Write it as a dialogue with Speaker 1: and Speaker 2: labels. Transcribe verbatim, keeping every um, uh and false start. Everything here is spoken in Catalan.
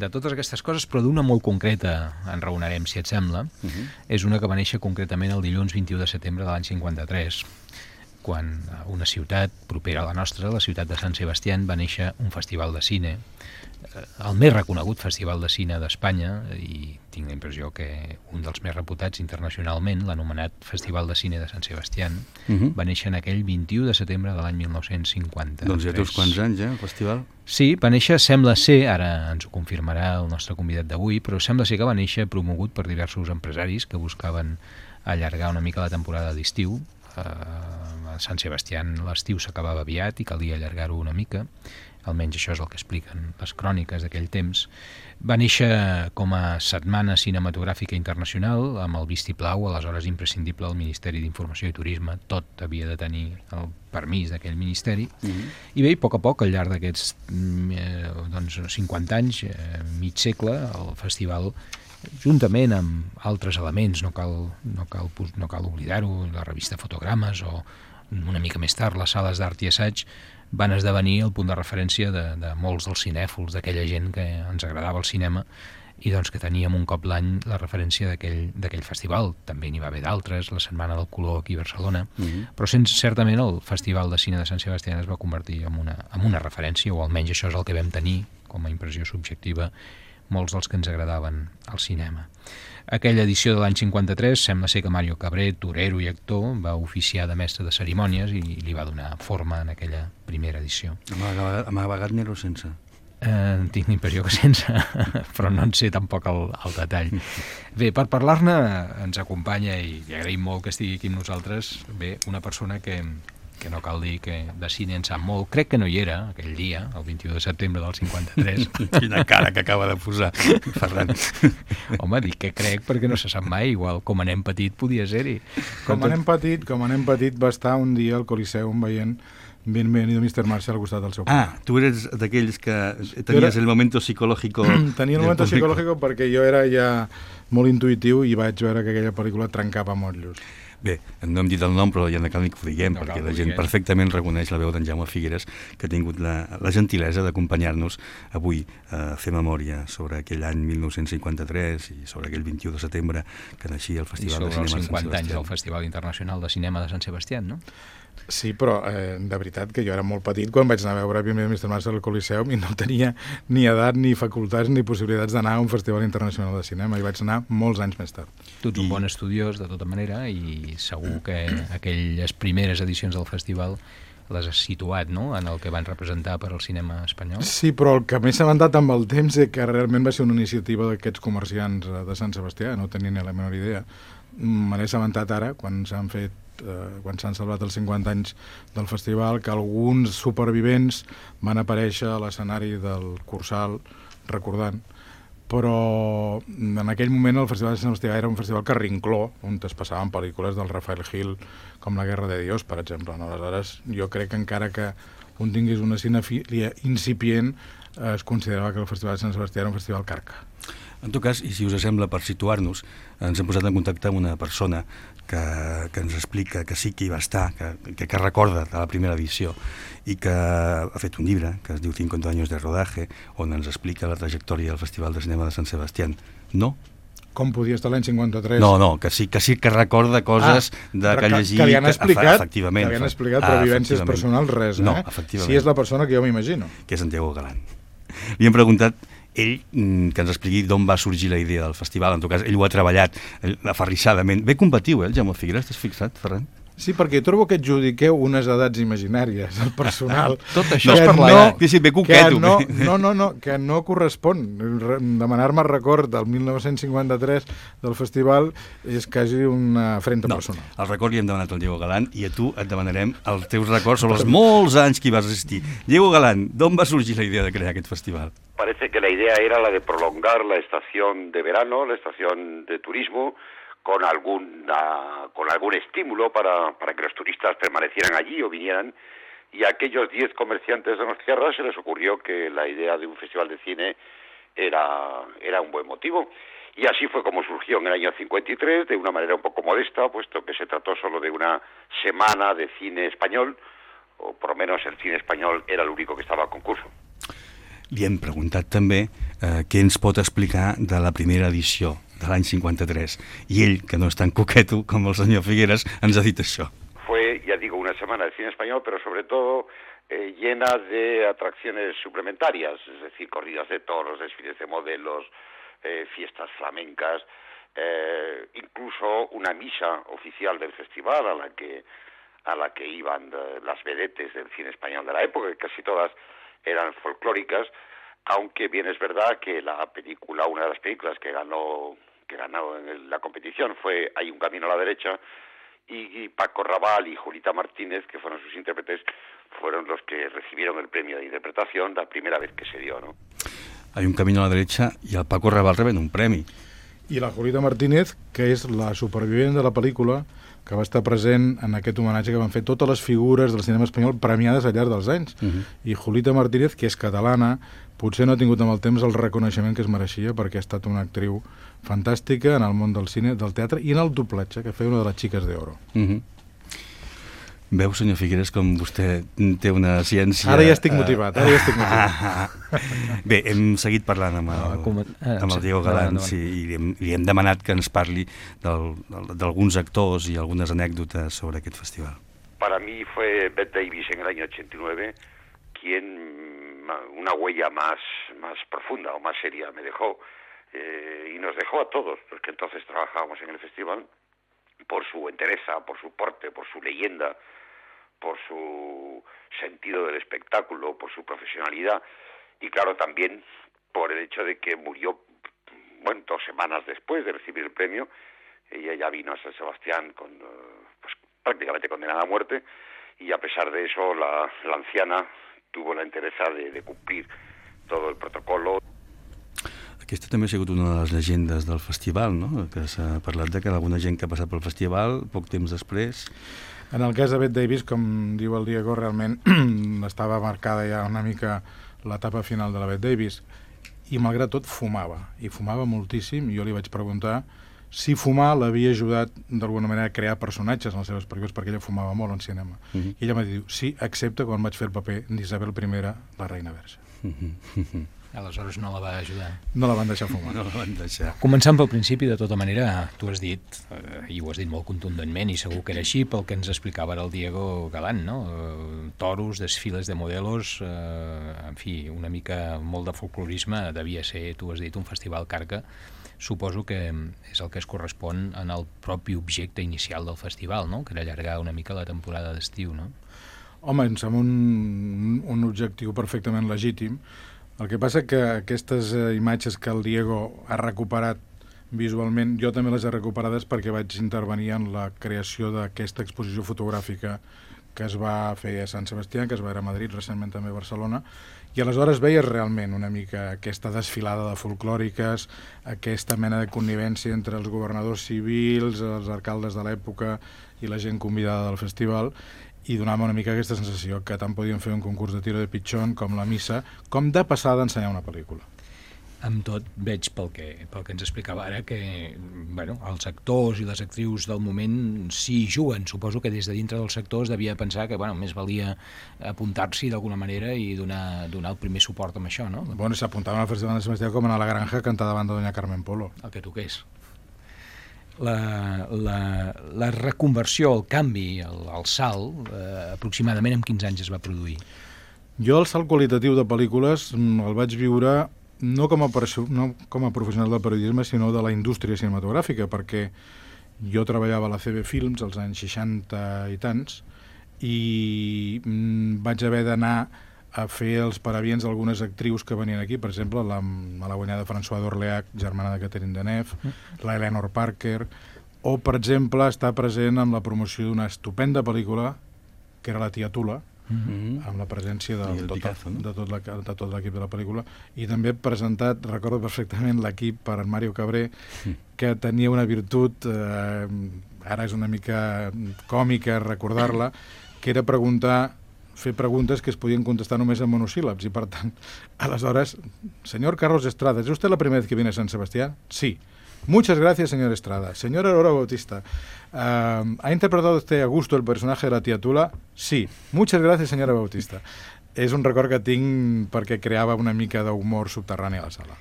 Speaker 1: de totes aquestes coses, però d'una molt concreta en raonarem, si et sembla. Uh-huh. És una que va néixer concretament el dilluns vint-i-u de setembre de l'any cinquanta-tres, quan a una ciutat propera a la nostra, la ciutat de Sant Sebastián, va néixer un festival de cine, el més reconegut festival de cine d'Espanya, i tinc la impressió que un dels més reputats internacionalment, l'anomenat Festival de Cine de Sant Sebastián, uh-huh. va néixer en aquell vint-i-u de setembre de l'any mil nou-cents cinquanta.
Speaker 2: Doncs ja té uns quants anys, eh, el festival?
Speaker 1: Sí, va néixer, sembla ser, ara ens ho confirmarà el nostre convidat d'avui, però sembla ser que va néixer promogut per diversos empresaris que buscaven allargar una mica la temporada d'estiu. A Sant Sebastián l'estiu s'acabava aviat i calia allargar-ho una mica, almenys això és el que expliquen les cròniques d'aquell temps. Va néixer com a setmana cinematogràfica internacional, amb el vistiplau, aleshores imprescindible al Ministeri d'Informació i Turisme, tot havia de tenir el permís d'aquell ministeri, mm-hmm. i bé, a poc a poc, al llarg d'aquests eh, doncs, cinquanta anys, eh, mig segle, el festival, juntament amb altres elements, no cal, no cal, no cal oblidar-ho, la revista Fotogrames o una mica més tard les sales d'art i assaig, van esdevenir el punt de referència de, de molts dels cinèfols, d'aquella gent que ens agradava el cinema i doncs que teníem un cop l'any la referència d'aquell festival. També n'hi va haver d'altres, la Setmana del Color aquí a Barcelona, mm-hmm. però sense, certament el Festival de Cine de Sant Sebastián es va convertir en una, en una referència, o almenys això és el que vam tenir com a impressió subjectiva molts dels que ens agradaven al cinema. Aquella edició de l'any cinquanta-tres sembla ser que Mario Cabré, torero i actor, va oficiar de mestre de cerimònies i li va donar forma en aquella primera edició.
Speaker 2: Amagat n'era o sense?
Speaker 1: Eh, tinc la impressió que sense, però no en sé tampoc el, el detall. Bé, per parlar-ne ens acompanya, i li agraïm molt que estigui aquí amb nosaltres, bé, una persona que... que no cal dir que de cine en sap molt. Crec que no hi era aquell dia, el vint-i-u de setembre del cinquanta-tres.
Speaker 2: Quina cara que acaba de posar, Ferran.
Speaker 1: Home, dic que crec perquè no se sap mai, igual com anem petit podia ser-hi.
Speaker 3: Com anem petit, com anem petit va estar un dia al Coliseum veient Bienvenido mister Marshall al costat del seu pare.
Speaker 2: Ah, tu eres d'aquells que tenies era... el momento psicológico...
Speaker 3: Tenia el momento psicológico perquè jo era ja molt intuïtiu i vaig veure que aquella pel·lícula trencava motllos.
Speaker 2: Bé, no hem dit el nom, però ja no cal ni que ho diguem, no perquè la gent perfectament reconeix la veu d'en Jaume Figueres, que ha tingut la, la gentilesa d'acompanyar-nos avui a fer memòria sobre aquell any mil nou-cents cinquanta-tres i sobre aquell vint-i-u de setembre que naixia el Festival de Cinema de Sant Sebastián. I sobre els cinquanta anys
Speaker 1: del Festival Internacional de Cinema de Sant Sebastián, no?
Speaker 3: Sí, però eh, de veritat que jo era molt petit quan vaig anar a veure Bienvenido mister Marshall al Coliseum i no tenia ni edat, ni facultats, ni possibilitats d'anar a un Festival Internacional de Cinema, i vaig anar molts anys més tard.
Speaker 1: Tu ets un bon estudiós, de tota manera, i segur que aquelles primeres edicions del festival les has situat, no?, en el que van representar per al cinema espanyol.
Speaker 3: Sí, però el que m'he assabentat amb el temps és que realment va ser una iniciativa d'aquests comerciants de Sant Sebastià, no tenia ni la menor idea. Me n'he assabentat ara, quan s'han fet Eh, quan s'han celebrat els cinquanta anys del festival, que alguns supervivents van aparèixer a l'escenari del Cursal recordant, però en aquell moment el Festival de Sant Sebastià era un festival carrincló, on es passaven pel·lícules del Rafael Gil com La Guerra de Dios, per exemple. No? Aleshores, jo crec que encara que un tingués una cinefília incipient, eh, es considerava que el Festival de Sant Sebastià era un festival carca.
Speaker 2: En tot cas, i si us sembla, per situar-nos, ens hem posat en contacte amb una persona que, que ens explica que sí que hi va estar, que, que, que recorda de la primera edició i que ha fet un llibre que es diu cincuenta años de rodaje, on ens explica la trajectòria del Festival de Cinema de Sant Sebastián. No?
Speaker 3: Com podia estar l'any cinquanta-tres?
Speaker 2: No, no, que sí que, sí que recorda coses ah, de que ha llegit...
Speaker 3: Que li han explicat,
Speaker 2: efectivament,
Speaker 3: que li han explicat però ah, vivències personals, res,
Speaker 2: no,
Speaker 3: eh? Si és la persona que jo m'imagino.
Speaker 2: Que és en Diego Galán. Li hem preguntat ell, que ens expliqui d'on va sorgir la idea del festival. En tot cas, ell ho ha treballat aferrissadament. Bé combatiu, eh, el Jaume Figueres, t'has fixat, Ferran?
Speaker 3: Sí, perquè jo trobo que adjudiqueu unes edats imaginàries al personal.
Speaker 2: Tot això és per l'edat. No, sí, bé coqueto.
Speaker 3: No, no, no, no, que no correspon. Demanar-me record del mil nou-cents cinquanta-tres del festival és quasi una afrenta
Speaker 2: no,
Speaker 3: personal.
Speaker 2: El record li hem demanat al Diego Galán i a tu et demanarem els teus records sobre els molts anys que hi vas assistir. Diego Galán, d'on va sorgir la idea de crear aquest festival?
Speaker 4: Parece que la idea era la de prolongar la estación de verano, la estación de turismo, con alguna, con algún estímulo para, para que los turistas permanecieran allí o vinieran, y a aquellos diez comerciantes de nuestra tierra se les ocurrió que la idea de un festival de cine era, era un buen motivo. Y así fue como surgió en el año cincuenta y tres, de una manera un poco modesta, puesto que se trató solo de una semana de cine español, o por lo menos el cine español era el único que estava a concurso.
Speaker 2: Li hem preguntat també eh, què ens pot explicar de la primera edició de l'any cincuenta-tres. I ell, que no és tan coqueto com el senyor Figueras, ens ha dit això.
Speaker 4: Fue, ya digo, una semana de cine español, pero sobre todo eh, llena de atracciones suplementarias, es decir, corridas de toros, desfiles de modelos, eh, fiestas flamencas, eh, incluso una misa oficial del festival a la que a la que iban de, las vedetes del cine español de la época, que casi todas eran folclóricas, aunque bien es verdad que la película, una de las películas que ganó que ganó en la competición fue Hay un camino a la derecha, y, y Paco Raval y Julita Martínez, que fueron sus intérpretes, fueron los que recibieron el premio de interpretación la primera vez que se dio, ¿no?
Speaker 2: Hay un camino a la derecha i el Paco Raval reben un premi.
Speaker 3: I la Julita Martínez, que és la supervivent de la pel·lícula, que va estar present en aquest homenatge que van fer totes les figures del cinema espanyol premiades al llarg dels anys. Uh-huh. I Julita Martínez, que és catalana, potser no ha tingut amb el temps el reconeixement que es mereixia, perquè ha estat una actriu fantàstica en el món del cine, del teatre i en el doblatge, que feia una de les xiques d'oro. Uh-huh.
Speaker 2: Veu, senyor Figueras, com vostè té una ciència...
Speaker 3: Ara ja estic motivat, ara ja estic motivat.
Speaker 2: Bé, hem seguit parlant amb el, amb el Diego Galán, sí, i li hem, li hem demanat que ens parli d'alguns actors i algunes anècdotes sobre aquest festival.
Speaker 4: Para mí fue Bette Davis en el año ochenta y nueve quien una huella más, más profunda o más seria me dejó, eh, y nos dejó a todos, porque entonces trabajábamos en el festival, por su entereza, por su porte, por su leyenda, por su sentido del espectáculo, por su profesionalidad, y claro, también por el hecho de que murió, bueno, dos semanas después de recibir el premio. Ella ya vino a San Sebastián con, pues, prácticamente condenada a muerte, y a pesar de eso la, la anciana tuvo la entereza de, de cumplir todo el protocolo.
Speaker 2: Aquesta també ha sigut una de les llegendes del festival, no? Que s'ha parlat de que alguna gent que ha passat pel festival, poc temps després...
Speaker 3: En el cas de Bette Davis, com diu el Diego, realment estava marcada ja una mica l'etapa final de la Bette Davis, i malgrat tot fumava, i fumava moltíssim. Jo li vaig preguntar si fumar l'havia ajudat d'alguna manera a crear personatges en les seves pel·lícules, perquè ella fumava molt en cinema. Uh-huh. I ella m'ha dit, sí, excepte quan vaig fer el paper d'Isabel I, la reina verge.
Speaker 1: Uh-huh. Aleshores no la va ajudar.
Speaker 3: No la van deixar fumar.
Speaker 2: No la van deixar.
Speaker 1: Començant pel principi, de tota manera, tu has dit, eh, i ho has dit molt contundentment, i segur que era així, pel que ens explicava ara el Diego Galán, no? Eh, toros, desfiles de modelos, eh, en fi, una mica molt de folclorisme, devia ser, tu has dit, un festival carca. Suposo que és el que es correspon en el propi objecte inicial del festival, no? Que era allargar una mica la temporada d'estiu, no?
Speaker 3: Home, em sembla un, un objectiu perfectament legítim. El que passa que aquestes eh, imatges que el Diego ha recuperat visualment, jo també les he recuperades perquè vaig intervenir en la creació d'aquesta exposició fotogràfica que es va fer a Sant Sebastià, que es va fer a Madrid, recentment també a Barcelona, i aleshores veies realment una mica aquesta desfilada de folclòriques, aquesta mena de connivència entre els governadors civils, els alcaldes de l'època i la gent convidada del festival, i donava una mica aquesta sensació que tant podien fer un concurs de tiro de pitxón com la missa, com de passada ensenyar una pel·lícula.
Speaker 1: Amb tot, veig pel que, pel que ens explicava ara que bueno, els actors i les actrius del moment sí juguen. Suposo que des de dintre dels sectors devia pensar que bueno, més valia apuntar-s'hi d'alguna manera i donar, donar el primer suport amb això, no?
Speaker 3: Bueno, s'apuntaven al Festival de Sebastià com a la Granja a cantar davant de Doña Carmen Polo.
Speaker 1: El que toqués. La, la, la reconversió, el canvi, el, el salt, eh, aproximadament en quins anys es va produir?
Speaker 3: Jo el salt qualitatiu de pel·lícules el vaig viure no com a, no com a professional del periodisme, sinó de la indústria cinematogràfica, perquè jo treballava a la C B Films als anys seixanta i tants i mm, vaig haver d'anar a fer els parabiens d'algunes actrius que venien aquí, per exemple, la malaguanyada Françoise d'Orléac, germana de Catherine Deneuve, mm. la Eleanor Parker, o, per exemple, estar present en la promoció d'una estupenda pel·lícula que era La tia Tula, mm-hmm. amb la presència de, tot, Picasso, no? de tot la, de tot l'equip de la pel·lícula, i també presentat, recordo perfectament, l'equip per en Mario Cabré, mm. que tenia una virtut, eh, ara és una mica còmica recordar-la, que era preguntar fer preguntes que es podien contestar només en monosíl·labs, i per tant, aleshores, señor Carlos Estrada, ¿es usted la primera vez que viene a San Sebastián? Sí. Muchas gracias, señor Estrada. Señora Aurora Bautista, uh, ¿ha interpretado usted a gusto el personaje de la tía Tula? Sí. Muchas gracias, señora Bautista. És un record que tinc perquè creava una mica d'humor subterrani a la sala.